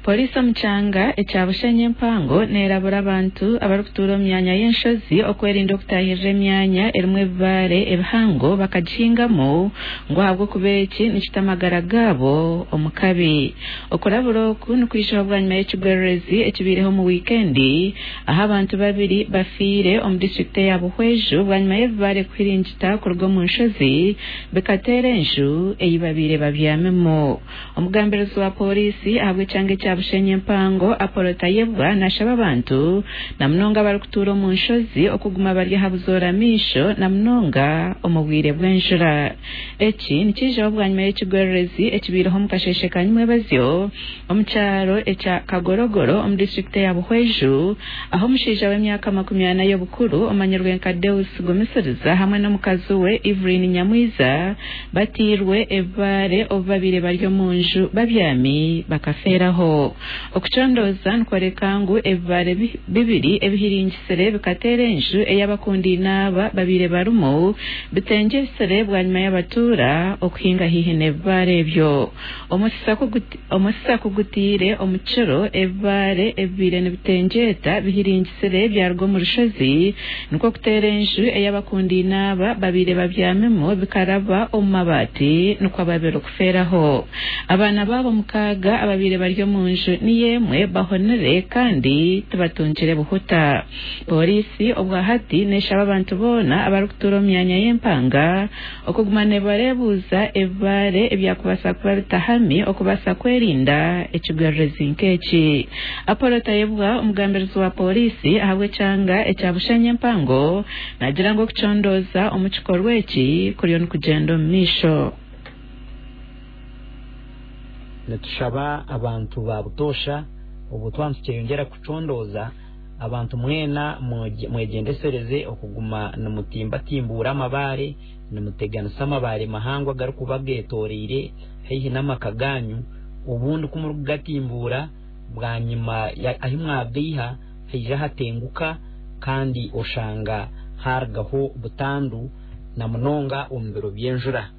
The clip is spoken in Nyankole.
Poliisi omu kyanga ekya Bushenyi empango neerabura abantu abarikutuura omu myanya y'enshozi okwerinda okutaahirira emyanya erimu ebibaare ebihango bakagihingamu ngu ahabw'okuba eki nikita amagara gaabo omu kabi. Okurabura oku nikwijaho bwanyima y'ekigwererezi ekibaireho omu wiikendi ahu abantu babiri bafiire omu disiturikiti eya Buhweju bwanyima y'ebibaare kuhiringita kuruga omu nshozi bikateera enju ei babaire babyamimu. Omugambirizi wa Pooriisi ahabw'ekyanga ekya Bushenyi empango, Apollo Tayebwa nashaba abantu na munonga abarikutuura omu nshozi okuguma bari aha buzoora maisho na munonga omu bwire bw'enjura. Eki nikiijaho bwanyima y'ekigwererezi ekibaireho omu kasheeshe ka nyimwebazyo omu kyaro ekya Kagorogoro omu disiturikiti eya Buhweju ahu omushaija w'emyaka 40 y'obukuru omanyirwe nka Deus Gumisiriza hamwe n'omukazi we Evelyn Nyamwiza Batairwe ebibaare obu babaire bari omu nju babyami bakafeeraho. Okucondooza nikworeka ngu ebibaare bibiri ebihiringisire bikateera enju ei abakundaine aba babaire barimu bitengyetsire bwanyima y'abatuura okuhinga haihi n'ebibaare ebyo. Omusisa ku gutaire omu kiro, ebibaare ebibaire nibitengyeta bihiringisire byaruga omu rushozi Nikwo kuteera enju ei abakundaine aba babaire babyamimu bikaraba omu mabaati nikwo ababire kufeeraho. Abaana baabo mukaaga ababaire bari omu nju niyo emwe bahonire kandi tibatungire buhuta. Pooriisi obwahati neshaba abantu boona abarikutuura omu myanya y'empanga okuguma nibareebuuza ebibaare ebyakubaasa kuba bitahami okubaasa kwerinda ekigwererezi nk'eki. Apollo Tayebwa, omugambirizi wa pooriisi ahabw'ekyanga ekya Bushenyi empango naagira ngu okucondooza omu kikorwa eki kuriyo nikugyenda omu maisho. Nitushaba abantu ba butoosha obwo twaba nitukyeyongyera kucondooza, abantu mwena mwegyendesereze okuguma nimutimbatimbuura amabaare, nimuteganisa amabaare mahango agarikuba getoreire haihi n'amaka gaanyu, obundi ku murikugatimbuura bwanyima ahi mwagaiha haija hatenguka kandi oshanga haarugaho butandu na munonga omu biro by'enjura.